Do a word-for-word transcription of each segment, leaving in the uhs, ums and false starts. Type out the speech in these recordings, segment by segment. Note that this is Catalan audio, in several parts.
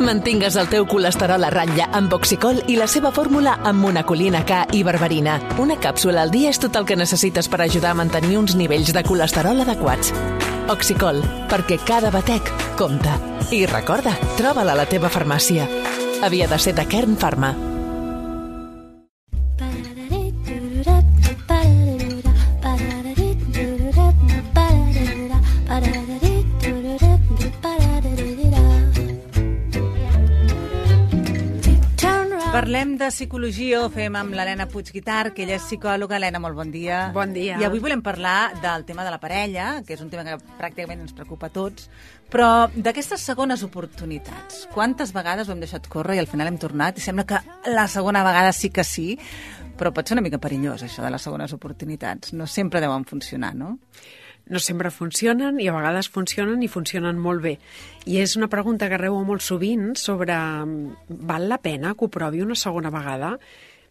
Mantingues el teu colesterol a ratlla amb Oxicol i la seva fórmula amb monacolina K i berberina. Una càpsula al dia és tot el que necessites per ajudar a mantenir uns nivells de colesterol adequats. Oxicol, perquè cada batec compta. I recorda, troba-la a la teva farmàcia. Havia de ser de Kern Pharma. Parlem de psicologia, ho fem amb l'Helena Puig-Guitart, que ella és psicòloga. Helena, molt bon dia. Bon dia. I avui volem parlar del tema de la parella, que és un tema que pràcticament ens preocupa a tots, però d'aquestes segones oportunitats. Quantes vegades ho hem deixat córrer i al final hem tornat i sembla que la segona vegada sí que sí, però pot ser una mica perillós, això de les segones oportunitats. No sempre deuen funcionar, no? No sempre funcionen i a vegades funcionen i funcionen molt bé. I és una pregunta que rebeu molt sovint sobre val la pena que ho provi una segona vegada?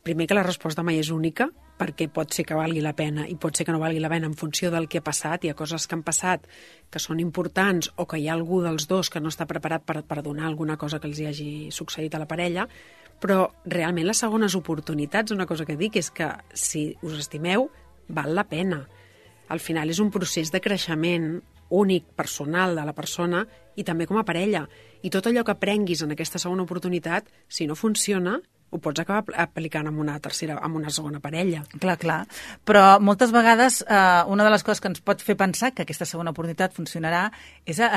Primer que la resposta mai és única, perquè pot ser que valgui la pena i pot ser que no valgui la pena en funció del que ha passat. Hi ha coses que han passat que són importants o que hi ha algú dels dos que no està preparat per, per donar alguna cosa que els hi hagi succeït a la parella, però realment les segones oportunitats, una cosa que dic és que si us estimeu, val la pena. Al final és un procés de creixement únic, personal de la persona i també com a parella. I tot allò que aprenguis en aquesta segona oportunitat, si no funciona, ho pots acabar aplicant en una tercera, en una segona parella. Clar, clar. Però moltes vegades eh, una de les coses que ens pot fer pensar que aquesta segona oportunitat funcionarà és eh,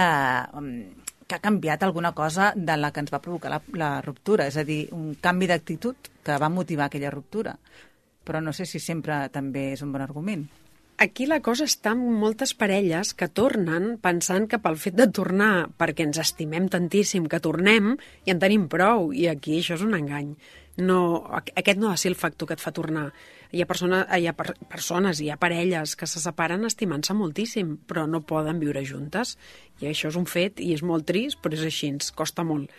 que ha canviat alguna cosa de la que ens va provocar la, la ruptura. És a dir, un canvi d'actitud que va motivar aquella ruptura. Però no sé si sempre també és un bon argument. Aquí la cosa està en moltes parelles que tornen pensant que pel fet de tornar perquè ens estimem tantíssim que tornem i en tenim prou, i aquí això és un engany. No, aquest no ha de ser el factor que et fa tornar. Hi ha, persona, hi ha per, persones, hi ha parelles que se separen estimant-se moltíssim, però no poden viure juntes. I això és un fet i és molt trist, però és així, ens costa molt.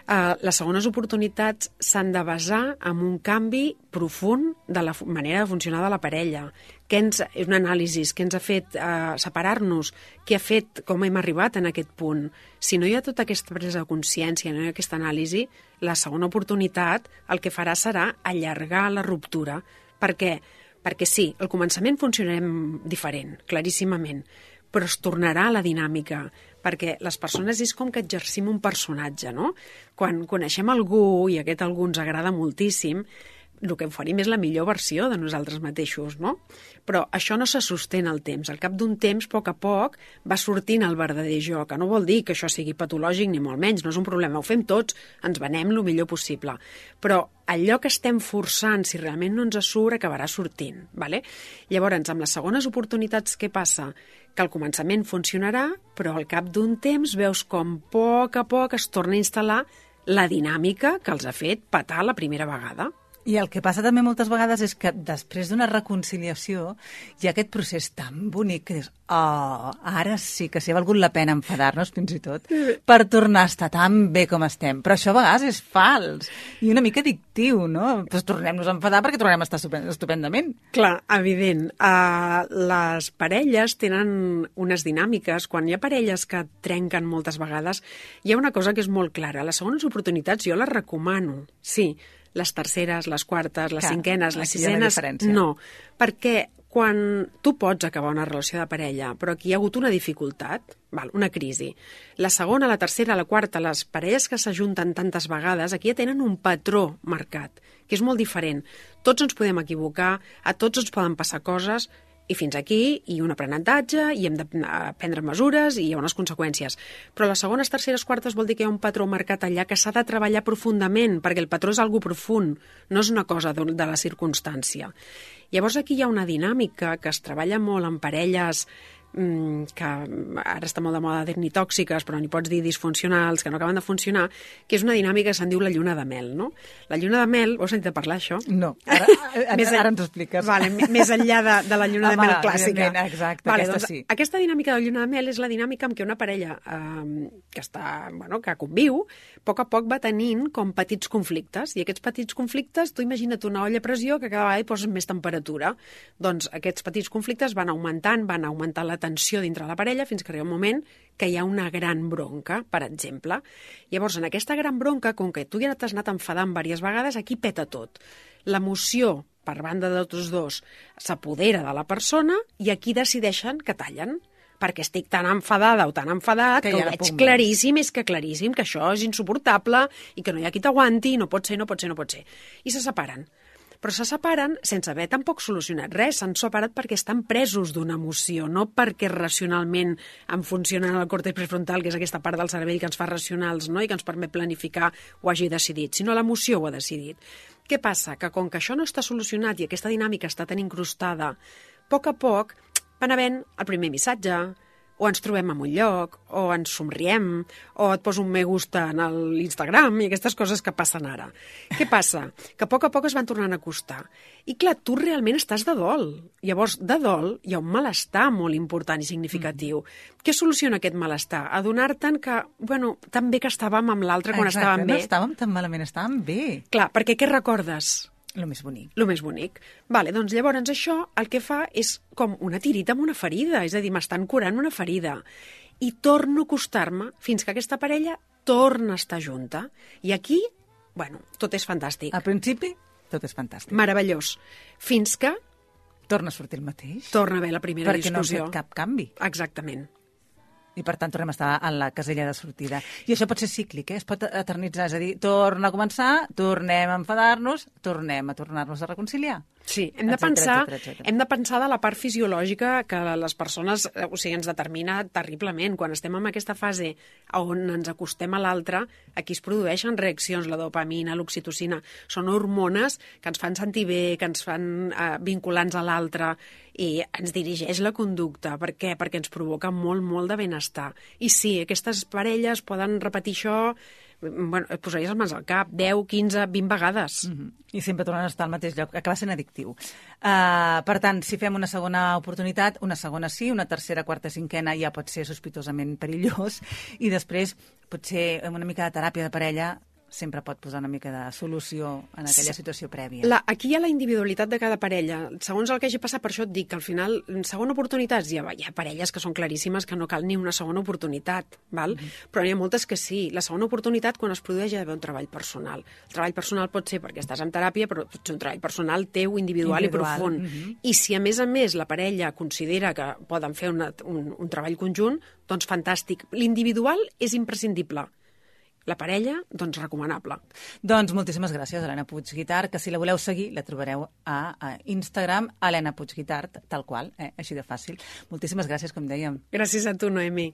Uh, les segones oportunitats s'han de basar en un canvi profund de la manera de funcionar de la parella. Què ens, és un anàlisi, què ens ha fet uh, separar-nos, què ha fet, com hem arribat en aquest punt. Si no hi ha tota aquesta presa de consciència, no hi ha aquesta anàlisi, la segona oportunitat el que farà serà allargar la ruptura. Per què? Perquè sí, al començament funcionarem diferent, claríssimament, però es tornarà a la dinàmica, perquè les persones és com que exercim un personatge, no? Quan coneixem algú i aquest algú ens agrada moltíssim, el que oferim és la millor versió de nosaltres mateixos, no? Però això no se sostén al temps. Al cap d'un temps, a poc a poc, va sortint el verdader jo, que no vol dir que això sigui patològic ni molt menys, no és un problema, ho fem tots, ens venem el millor possible. Però allò que estem forçant, si realment no ens surt, acabarà sortint, ¿vale? Llavors, amb les segones oportunitats, què passa? Que al començament funcionarà, però al cap d'un temps veus com a poc a poc es torna a instal·lar la dinàmica que els ha fet petar la primera vegada. I el que passa també moltes vegades és que després d'una reconciliació hi ha aquest procés tan bonic que dius, oh, ara sí que sí ha valgut la pena enfadar-nos fins i tot per tornar a estar tan bé com estem. Però això a vegades és fals i una mica addictiu, no? Pues tornem-nos a enfadar perquè tornem a estar estupendament. Clar, evident. Uh, les parelles tenen unes dinàmiques. Quan hi ha parelles que trenquen moltes vegades, hi ha una cosa que és molt clara. Les segones oportunitats jo les recomano, sí, les terceres, les quartes, les Clar, cinquenes, les sisenes, no. Perquè quan tu pots acabar una relació de parella, però aquí hi ha hagut una dificultat, val, una crisi, la segona, la tercera, la quarta, les parelles que s'ajunten tantes vegades, aquí ja tenen un patró marcat, que és molt diferent. Tots ens podem equivocar, a tots ens poden passar coses, i fins aquí, i un aprenentatge, i hem de prendre mesures, i hi ha unes conseqüències. Però les segones, terceres, quartes vol dir que hi ha un patró marcat allà que s'ha de treballar profundament, perquè el patró és algo profund, no és una cosa de la circumstància. Llavors aquí hi ha una dinàmica que es treballa molt en parelles que ara està molt de moda dir-ne tòxiques, però n'hi pots dir disfuncionals, que no acaben de funcionar, que és una dinàmica que se'n diu la lluna de mel, no? La lluna de mel, vols sentir parlar això? No, ara, més ara ens ho expliques. Vale, més enllà de, de la lluna Home, de mel clàssica. Exacte, vale, aquesta doncs, sí. Aquesta dinàmica de la lluna de mel és la dinàmica en què una parella eh, que està, bueno, que conviu, a poc a poc va tenint com petits conflictes, i aquests petits conflictes, tu imagina't una olla a pressió que cada vegada hi poses més temperatura. Doncs aquests petits conflictes van augmentant, van augmentant la de tensió dintre la parella fins que arriba un moment que hi ha una gran bronca, per exemple. Llavors, en aquesta gran bronca, com que tu ja t'has anat enfadant diverses vegades, aquí peta tot. L'emoció, per banda de tots dos, s'apodera de la persona i aquí decideixen que tallen, perquè estic tan enfadada o tan enfadat que, que ho veig claríssim, és que claríssim, que això és insuportable i que no hi ha qui t'aguanti, no pot ser, no pot ser, no pot ser. I se separen. Però se separen sense haver tampoc solucionat res, s'han separat perquè estan presos d'una emoció, no perquè racionalment en funcionen el còrtex prefrontal, que és aquesta part del cervell que ens fa racionals, no? I que ens permet planificar, ho hagi decidit, sinó l'emoció ho ha decidit. Què passa? Que com que això no està solucionat i aquesta dinàmica està tan incrustada, a poc a poc van havent el primer missatge, o ens trobem en un lloc, o ens somriem, o et poso un me gusta en l'Instagram i aquestes coses que passen ara. Què passa? Que a poc a poc es van tornant a acostar. I clar, tu realment estàs de dol. Llavors, de dol hi ha un malestar molt important i significatiu. Mm. Què soluciona aquest malestar? Adonar-te'n que, bueno, tan bé que estàvem amb l'altre quan Exacte, estàvem bé. no estàvem tan malament, estàvem bé. Clar, perquè què recordes? Lo més bonic. Lo més bonic. Vale, doncs llavors això el que fa és com una tirita amb una ferida, és a dir, m'estan curant una ferida. I torno a acostar-me fins que aquesta parella torna a estar junta. I aquí, bueno, tot és fantàstic. Al principi, tot és fantàstic. Meravellós. Fins que torna a sortir el mateix. Torna a haver la primera perquè discussió. Perquè no ha fet cap canvi. Exactament. I, per tant, tornem a estar en la casella de sortida. I això pot ser cíclic, eh? Es pot eternitzar. És a dir, torna a començar, tornem a enfadar-nos, tornem a tornar-nos a reconciliar. Sí, hem de, etcètera, pensar, etcètera, etcètera. hem de pensar de la part fisiològica que les persones, o sigui, ens determina terriblement. Quan estem en aquesta fase on ens acostem a l'altre, aquí es produeixen reaccions, la dopamina, l'oxitocina. Són hormones que ens fan sentir bé, que ens fan eh, vinculants a l'altre i ens dirigeix la conducta. Per què? Perquè ens provoca molt, molt de benestar. I sí, aquestes parelles poden repetir això, bueno, et posaries les mans al cap, deu, quinze, vint vegades. Mm-hmm. I sempre tornen a estar al mateix lloc, acaba sent addictiu. Uh, per tant, si fem una segona oportunitat, una segona sí, una tercera, quarta, cinquena ja pot ser sospitosament perillós, i després potser amb una mica de teràpia de parella sempre pot posar una mica de solució en aquella situació prèvia. La, aquí hi ha la individualitat de cada parella. Segons el que hagi passat, per això et dic que al final, en segona oportunitat, hi ha, hi ha parelles que són claríssimes que no cal ni una segona oportunitat, val? Mm-hmm. Però n'hi ha moltes que sí. La segona oportunitat, quan es produeix, hi ha d'haver un treball personal. El treball personal pot ser perquè estàs en teràpia, però pot ser un treball personal teu, individual, individual. i profund. Mm-hmm. I si, a més a més, la parella considera que poden fer una, un, un treball conjunt, doncs fantàstic. L'individual és imprescindible. La parella, doncs recomanable. Doncs moltíssimes gràcies, Helena Puig Guitart, que si la voleu seguir la trobareu a, a Instagram, Helena Puig Guitart, tal qual, eh? Així de fàcil. Moltíssimes gràcies, com dèiem. Gràcies a tu, Noemi.